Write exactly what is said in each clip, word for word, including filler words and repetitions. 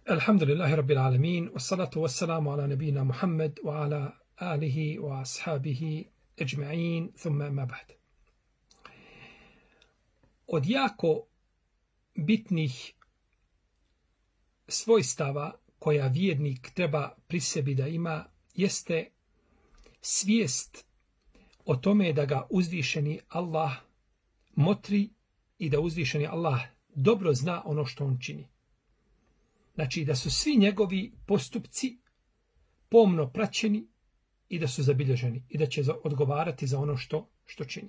Alhamdulillahi Rabbil Alamin, wassalatu wassalamu ala nabina Muhammad wa ala alihi wa ashabihi ajma'in, thumma ma ba'd. Od jako bitnih svojstava koja vjernik treba pri sebi da ima jeste svijest o tome da ga uzvišeni Allah motri i da uzvišeni Allah dobro zna ono što on čini. Znači da su svi njegovi postupci pomno praćeni i da su zabilježeni i da će odgovarati za ono što, što čini.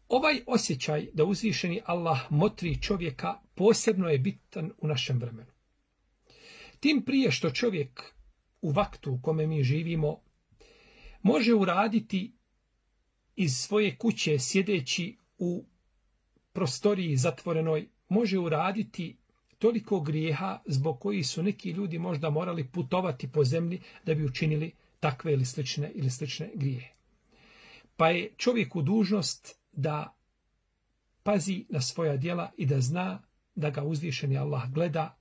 Ovaj osjećaj da uzvišeni Allah motri čovjeka posebno je bitan u našem vremenu. Tim prije što čovjek u vaktu u kome mi živimo može uraditi iz svoje kuće sjedeći u prostoriji zatvorenoj, može uraditi toliko grijeha zbog kojih su neki ljudi možda morali putovati po zemlji da bi učinili takve ili slične ili slične grijehe. Pa je čovjeku dužnost da pazi na svoja djela i da zna da ga uzvišeni Allah gleda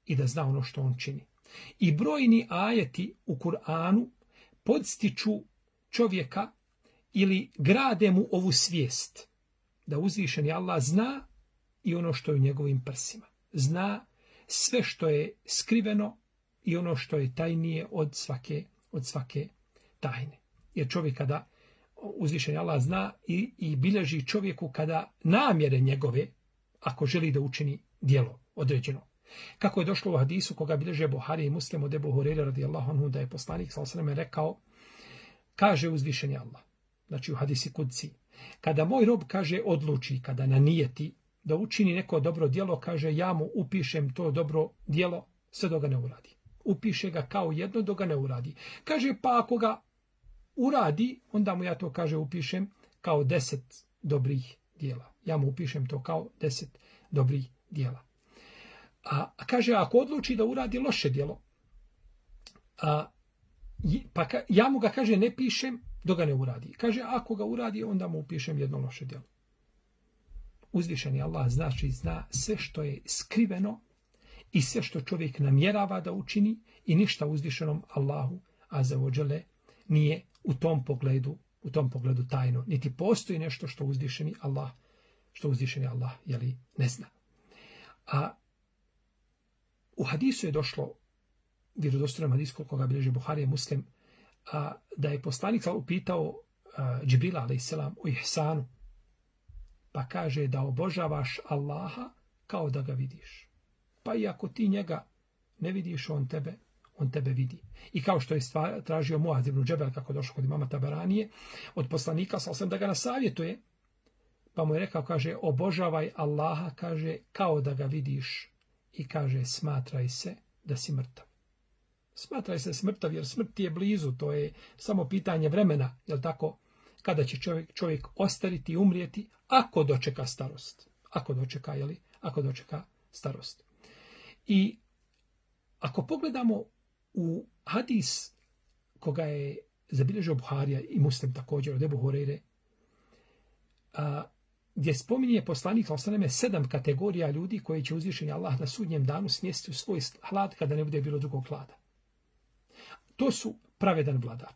i da zna ono što on čini. I brojni ajeti u Kur'anu podstiču čovjeka ili grade mu ovu svijest da uzvišeni Allah zna i ono što je u njegovim prsima. Zna sve što je skriveno i ono što je tajnije od svake, od svake tajne. Jer čovjek kada uzvišeni Allah zna i, i bilježi čovjeku kada namjere njegove, ako želi da učini djelo određeno. Kako je došlo u hadisu koga bilježe Buhari i Muslim od Ebu Hureyre radijallahu anhu, da je poslanik sallallahu alejhi ve sellem rekao, kaže uzvišeni Allah, znači u hadisi kudsi, kada moj rob kaže odluči, kada nanijeti da učini neko dobro djelo, kaže ja mu upišem to dobro djelo sve dok ga ne uradi. Upiše ga kao jedno dok ga ne uradi. Kaže pa ako ga uradi, onda mu ja to kaže upišem kao deset dobrih djela. Ja mu upišem to kao deset dobrih djela. A, a kaže ako odluči da uradi loše djelo, a, pa ka, ja mu ga kaže ne pišem dok ga ne uradi. Kaže ako ga uradi, onda mu upišem jedno loše djelo. Uzvišeni Allah znači zna sve što je skriveno i sve što čovjek namjerava da učini i ništa uzvišenom Allahu azza wa dželle nije u tom pogledu, u tom pogledu tajno. Niti postoji nešto što uzvišeni Allah, što uzvišeni Allah jeli, ne zna. A u hadisu je došlo, vjerodostojnom hadisu koga bilježi Buhari i Muslim, a, da je poslanik upitao Džibrila alejhi selam o ihsanu. Pa kaže da obožavaš Allaha kao da ga vidiš. Pa i ako ti njega ne vidiš, on tebe, on tebe vidi. I kao što je stvar, tražio Muaz ibn Džebel, kako došlo kod imama Taberanije, od poslanika sallallahu da ga nasavjetuje, pa mu je rekao, kaže, obožavaj Allaha, kaže, kao da ga vidiš i kaže, smatraj se da si mrtav. Smatraj se smrtav, jer smrt je blizu, to je samo pitanje vremena, jel tako? Kada će čovjek, čovjek ostariti i umrijeti, ako dočeka starost. Ako dočeka, jeli? Ako dočeka starost. I ako pogledamo u hadis koga je zabilježio Buharija i Muslim također od Ebu Hureyre, a, gdje spominje poslanik sallallahu alejhi ve sellem sedam kategorija ljudi koji će uzvišeni Allah na sudnjem danu smjestiti u svoj hlad kada ne bude bilo drugog hlada. To su pravedan vladar.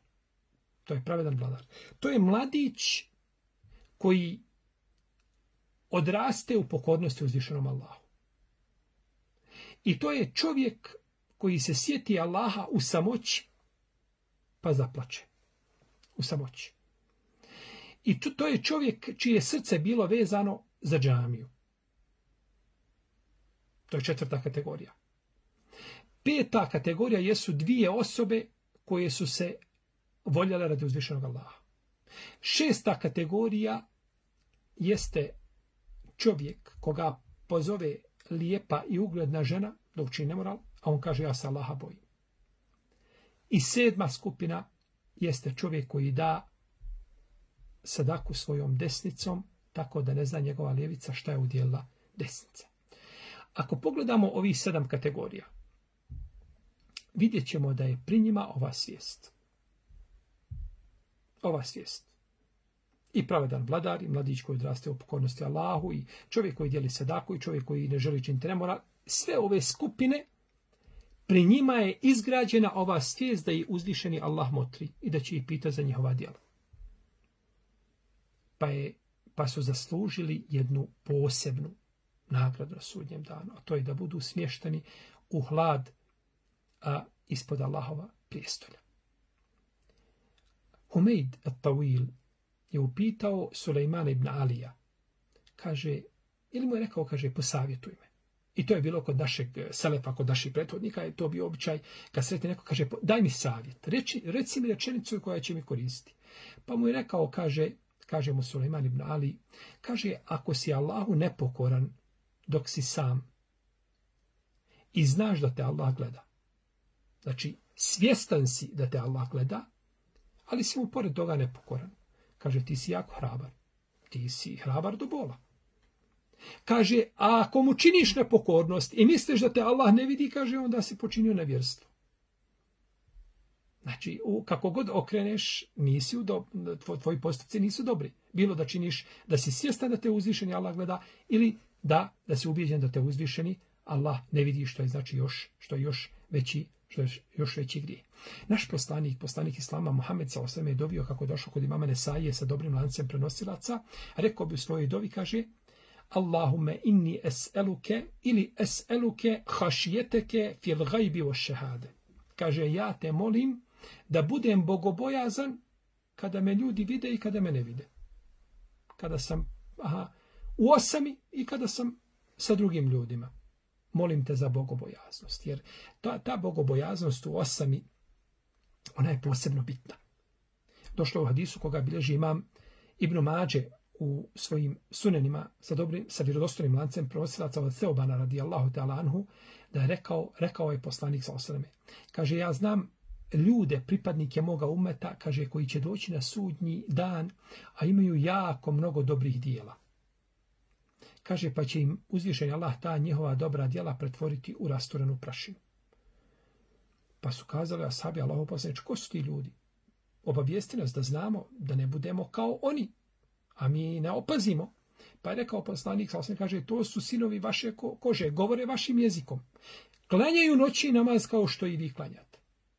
To je pravedan vladar. To je mladić koji odraste u pokornosti uzvišenom Allahu. I to je čovjek koji se sjeti Allaha u samoći pa zaplače. U samoći. I to je čovjek čije srce bilo vezano za džamiju. To je četvrta kategorija. Peta kategorija jesu dvije osobe koje su se voljela radi uzvišenog Allaha. Šesta kategorija jeste čovjek koga pozove lijepa i ugledna žena da učini nemoral, a on kaže ja se Allaha bojim. I sedma skupina jeste čovjek koji da sadaku svojom desnicom tako da ne zna njegova lijevica šta je udjelila desnica. Ako pogledamo ovih sedam kategorija, vidjet ćemo da je pri njima ova svijest. Ova svijest. I pravedan vladar, i mladić koji odraste u pokornosti Allahu, i čovjek koji dijeli sadaku, i čovjek koji ne želi činiti nemora. Sve ove skupine, pri njima je izgrađena ova svijest da je uzvišeni Allah motri i da će ih pita za njihova djela. Pa, je, pa su zaslužili jednu posebnu nagradu na sudnjem danu, a to je da budu smješteni u hlad a, ispod Allahova prijestolja. Humeid at-Tawil je upitao Sulejmana ibn Alija. Kaže, ili mu je rekao, kaže, posavjetuj me. I to je bilo kod našeg selefa, kod naših prethodnika, je to bio običaj, kad sretni neko, kaže, daj mi savjet, reči, reci mi rečenicu koja će mi koristiti. Pa mu je rekao, kaže, kaže mu Sulejman ibn Ali, kaže, ako si Allahu nepokoran dok si sam i znaš da te Allah gleda, znači svjestan si da te Allah gleda, ali si mu pored toga nepokoran, kaže, ti si jako hrabar, ti si hrabar do bola. Kaže, a ako mu činiš nepokornost i misliš da te Allah ne vidi, kaže, onda si počinio nevjerstvo. Znači, u, kako god okreneš, nisi u do, tvoj, tvoji postupci nisu dobri. Bilo da činiš, da si svjestan da te uzvišeni Allah gleda, ili da, da si ubijeđen da te uzvišeni Allah ne vidi, što je znači još, što je još veći, što je još veći grije. Naš poslanik, poslanik Islama, Muhammed sallallahu alejhi ve sellem je dovio, kako je došao kod imama Nesaije sa dobrim lancem prenosilaca, rekao bi u svojoj dovi, kaže, Allahumme inni es'eluke ili es'eluke hašijeteke fil gajbi o šehade. Kaže, ja te molim da budem bogobojazan kada me ljudi vide i kada me ne vide. Kada sam aha, u osami i kada sam sa drugim ljudima. Molim te za bogobojaznost. Jer ta, ta bogobojaznost u osami, ona je posebno bitna. Došlo u hadisu koga bilježi imam Ibn Mađe u svojim sunenima sa dobrim, sa vjerodostojnim lancem prenosilaca od Theobana radijallahu ta'ala anhu, da je rekao, rekao je poslanik sallallahu alejhi ve sellem. Kaže, ja znam ljude, pripadnike moga umeta, kaže, koji će doći na sudnji dan, a imaju jako mnogo dobrih dijela. Kaže, pa će im uzvišeni Allah ta njihova dobra djela pretvoriti u rasturenu prašinu. Pa su kazali ashabi Allahov poslaniče, ko su ti ljudi? Obavijesti nas da znamo da ne budemo kao oni, a mi ne opazimo. Pa je rekao poslanik, sallallahu kaže, to su sinovi vaše kože, govore vašim jezikom. Klanjaju noći namaz kao što i vi klanjate.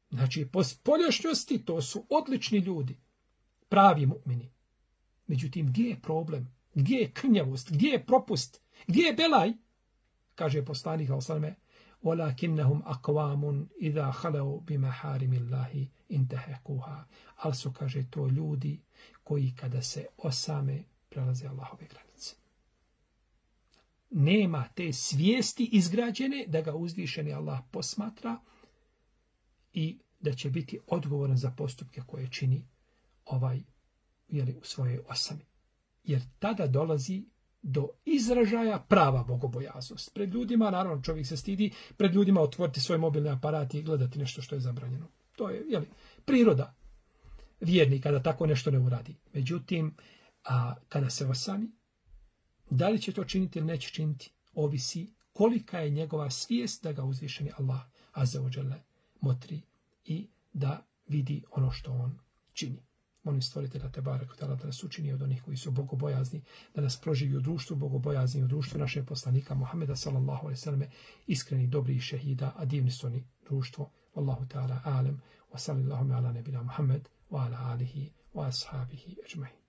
Znači, po spoljašnjosti to su odlični ljudi, pravi mu'mini. Međutim, gdje je problem? Gdje je krnjavost? Gdje je propust? Gdje je belaj? Kaže poslanik, sallallahu وَلَكِنَّهُمْ أَقْوَامٌ إِذَا خَلَوْا بِمَحَارِمِ اللَّهِ إِنْتَهَكُوهَا. Ali su, kaže, to ljudi koji kada se osame prelaze Allahove granice. Nema te svijesti izgrađene da ga uzvišeni Allah posmatra i da će biti odgovoran za postupke koje čini ovaj, jeli, u svojoj osami. Jer tada dolazi do izražaja prava bogobojaznost. Pred ljudima, naravno, čovjek se stidi, pred ljudima otvoriti svoj mobilni aparat i gledati nešto što je zabranjeno. To je, jeli, priroda vjernika da tako nešto ne uradi. Međutim, a kada se osami, da li će to činiti ili neće činiti, ovisi kolika je njegova svijest da ga uzvišeni Allah azza wa jalla motri i da vidi ono što on čini. Molim stvoritelja Tebareka ve Teala da nas učini od onih koji su bogobojazni, da nas proživi u društvu bogobojazni, u društvu našeg poslanika Muhameda sallallahu alejhi ve selleme, iskreni, dobri šehida, a divni su oni društvo. Wallahu ta'ala alem, wa sallallahu ala nebina Muhammed, wa ala alihi, wa ashabihi ajma'in.